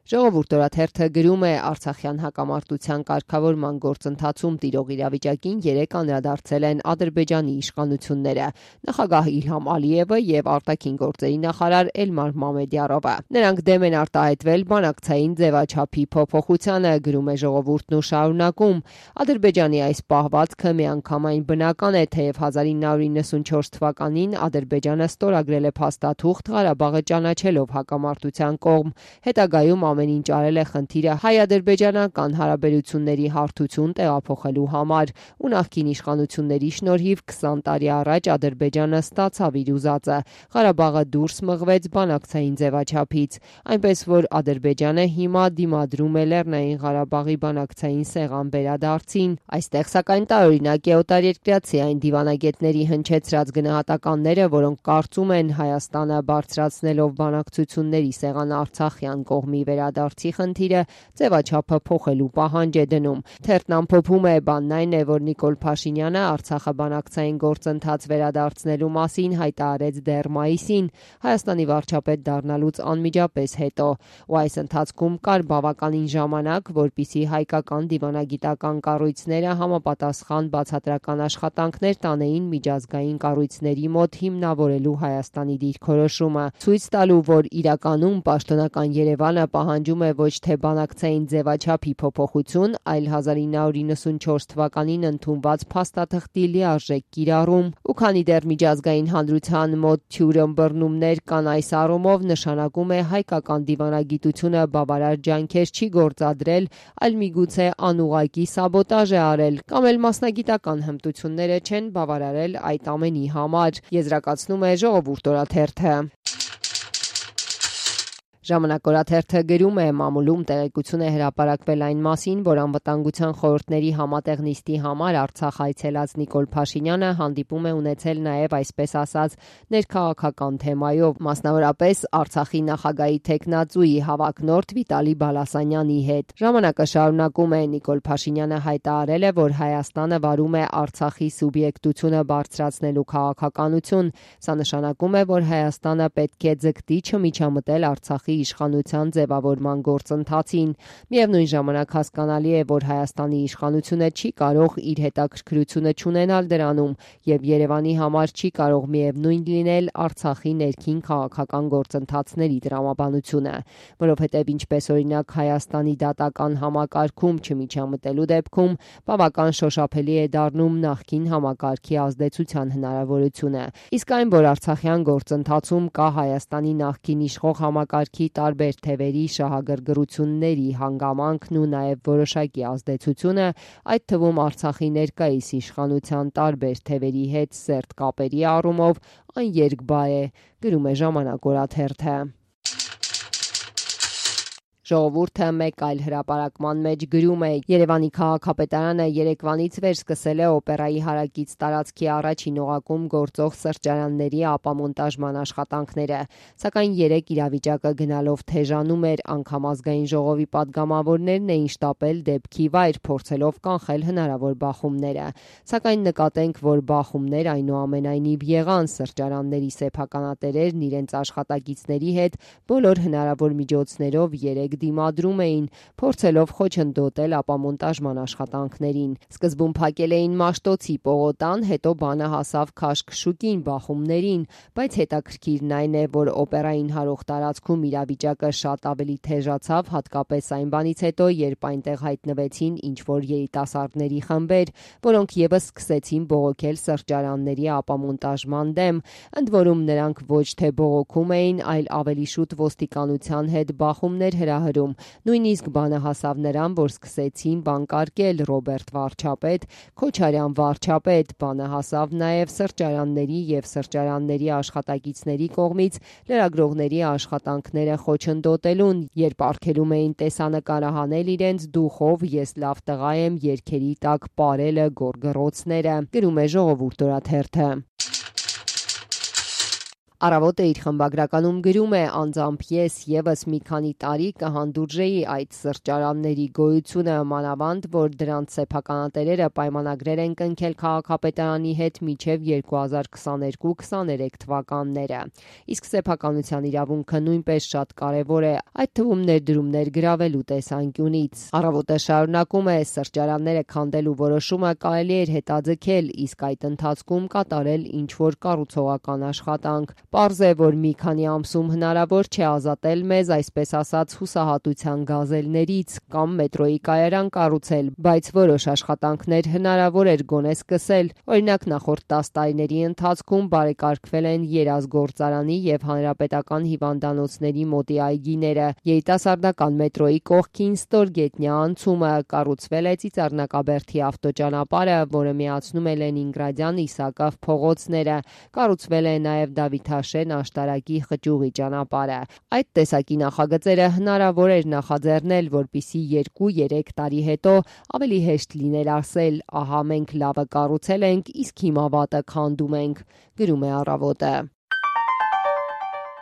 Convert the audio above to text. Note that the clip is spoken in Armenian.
Ժողովուրդ օրաթերթը գրում է Արցախյան հակամարտության կարգավորման գործընթացում տիրող իրավիճակին 3 անդրադարձել են Ադրբեջանի իշխանությունները՝ նախագահ Իլհամ Ալիևը եւ արտաքին գործերի նախարար Էլմար Մամեդյարովը։ Նրանք դեմ են արտահայտվել բանակցային ձևաչափի փոփոխությանը, գրում է Ժողովուրդն ու շարունակում. Ադրբեջանի այս պահվածքը միանգամայն բնական է, թեև 1994 թվականին Ադրբեջանը ստորագրել է փաստաթուղթ Ղարաբաղը ճանաչելով հակամարտության կողմ, հետագայում ամեն ինչ արել է խնդիրը հայ-ադրբեջանական հարաբերությունների հարթություն տեղափոխելու համար, ու նախկին իշխանությունների շնորհիվ 20 տարի առաջ Ադրբեջանը ստացավ իր ուզածը, Ղարաբաղը դուրս մղվեց բանակցային ձևաչափից, այնպես որ Ադրբեջանը հիմա դիմադրում է Լեռնային Ղարաբաղի բանակցային սեղան վերադարձին։ Այստեղ սակայն տարօրինակ է օտարերկրացի այն դիվանագետների հնչեցրած գնահատականները, որոնք կարծում են Հայաստանը բարձրացնելով բանակցությունների սեղան արցախյան կողմի վերադարձի խնդիրը ձևաչափը փոխելու պահանջ է դնում։ Թերթն ամփոփում է. բանն այն է, որ Նիկոլ Փաշինյանը Արցախը բանակցային գործընթաց վերադարձնելու մասին հայտարարեց դեռ մայիսին, Հայաստանի վարչապետ դառնալուց անմիջապես հետո, ու այս ընթացքում կար բավականին ժամանակ, որպեսզի հայկական դիվանագիտական կառույցները համապատասխան բացատրական աշխատանքներ տանեին միջազգային կառույցների մոտ հիմնավորելու Հայաստանի դիրքորոշումը, ցույց տալու, որ իրականում պաշտոնական Երևանը պահանջում է ոչ թե բանակցային ձևաչափի փոփոխություն, այլ 1994 թվականին ընդունված փաստաթղթի լիարժեք կիրառում, ու քանի դեռ միջազգային հանրության մոտ թյուր ըմբռնումներ կան այս առումով, նշանակում է հայկական դիվանագիտությունը բավարար ջանքեր չի գործադրել, այլ միգուցե անուղղակի սաբոտաժ է արել, կամ էլ մասնագիտական հմտությունները չեն բավարարել այդ ամենի համար, եզրակացնում է Ժողովուրդ օրաթերթը։ Ժամանակ օրաթերթը գրում է. մամուլում տեղեկություն է հրապարակվել այն մասին, որ անվտանգության խորհուրդների համատեղ նիստի համար Արցախ այցելած Նիկոլ Փաշինյանը հանդիպում է ունեցել նաև այսպես ասած ներքաղաքական թեմայով, մասնավորապես Արցախի նախագահի թեկնածուի հավակնորդ Վիտալի Բալասանյանի հետ։ Ժամանակը շարունակում է. Նիկոլ Փաշինյանը հայտարարել է, որ Հայաստանը վարում է Արցախի սուբյեկտությունը բարձրացնելու քաղաքականություն։ Սա նշանակում է, որ Հայաստանը պետք է ձգտի չմիջամտել Արցախի իշխանության ձևավորման գործընթացին։ Միևնույն ժամանակ հասկանալի է, որ Հայաստանի իշխանությունը չի կարող իր հետաքրքրությունը չունենալ դրանում, եւ Երևանի համար չի կարող միևնույն լինել Արցախի ներքին քաղաքական գործընթացների տրամաբանությունը, որովհետեւ ինչպես օրինակ Հայաստանի դատական համակարգում չմիջամտելու դեպքում բավական շոշափելի է դառնում նախկին համակարգի ազդեցության հնարավորությունը։ Իսկ այն, որ արցախյան գործընթացում կա Հայաստանի նախկին իշխող համակարգի տարբեր թևերի շահագրգռությունների հանգամանքն ու նաև որոշակի ազդեցությունը, այդ թվում Արցախի ներկայիս իշխանության տարբեր թևերի հետ սերտ կապերի առումով, այն երկբա է, գրում է Ժամանակ օրաթերթը։ Ժողովուրդը մեկ այլ հրապարակման մեջ գրում է. Երևանի քաղաքապետարանը երեկվանից վեր սկսել է օպերայի հարակից տարածքի առաջին օղակում գործող սրճարանների ապամոնտաժման աշխատանքները, սակայն երեք իրավիճակը գնալով թեժանում էր, անգամ ազգային ժողովի պատգամավորներն էին շտապել դեպքի վայր, փորձելով կանխել հնարավոր բախումները, սակայն նկատենք, որ բախումներ այնուամենայնիվ եղան, սրճարանների սեփականատերերն իրենց աշխատակիցների հետ բոլոր հնարավոր միջոցներով երեք դիմադրում էին, փորձելով խոչընդոտել ապամոնտաժման աշխատանքներին։ Սկզբում փակել էին Մաշտոցի պողոտան, հետո բանը հասավ Քաշքշուկին բախումներին, բայց հետաքրքիրն այն է, որ օպերային հարող տարածքում իրավիճակը շատ ավելի թեժացավ, հատկապես այն բանից հետո, երբ այնտեղ հայտնվեցին ինչ-որ երիտասարդների խմբեր, որոնք եւս սկսեցին բողոքել սրճարանների ապամոնտաժման դեմ, ընդ որում նրանք ոչ թե բողոքում էին, այլ ավելի շուտ ոստիկանության հետ բախումներ հրահրում։ Նույնիսկ բանը հասավ նրան, որ սկսեցին բանկարկել Ռոբերտ վարչապետ, Քոչարյան վարչապետ, բանը հասավ նաև սրճարանների եւ սրճարանների աշխատակիցների կողմից լրագրողների աշխատանքները խոչընդոտելուն, երբ արգելում էին տեսանկարահանել իրենց դուխով «Ես լավ տղա եմ» երգերի տակ պարելը գոռգռոցները, գրում է Ժողովուրդ օրաթերթը։ Առավոտը իր խմբագրականում գրում է, անձամբ ես եւս մի քանի տարի կհանդուրժեի այդ սրճարանների գոյությունը, մանավանդ որ դրանց սեփականատերերը պայմանագրեր են կնքել քաղաքապետարանի հետ մինչև 2022-23 թվականները։ Իսկ սեփականության իրավունքը նույնպես շատ կարևոր է, այդ թվում ներդրումներ գրավելու տեսանկյունից։ Առավոտը շարունակում է, սրճարանները քանդելու որոշումը կարելի էր հետաձգել, իսկ այդ ընթացքում կատարել ինչ-որ կառուցողական աշխատանք։ Պարզ է, որ մի քանի ամսում հնարավոր չէ ազատել մեզ, այսպես ասած, հուսահատության գազելներից կամ մետրոյի կայարան կառուցել, բայց որոշ աշխատանքներ հնարավոր էր գոնե սկսել։ Օրինակ, նախորդ 10 տարիների ընթացքում բարեկարգվել են Երազգործարանի եւ Հանրապետական հիվանդանոցների մոտի այգիները, երիտասարդական մետրոյի կողքին ստորգետնյա անցումը, կառուցվել է Ծիծեռնակաբերդի ավտոճանապարհը, որը միացնում է Լենինգրադյան Իսակով փողոցները, կառուցվել է նաեւ Դավիթաշեն աշտարակի խճուղի ճանապարհը։ Այդ տեսակի նախագծերը հնարավոր էր նախաձեռնել, որպեսզի 2-3 տարի հետո ավելի հեշտ լիներ ասել՝ ահա մենք լավը կառուցել ենք, իսկ հիմա վատը քանդում ենք, գրում է Առավոտը։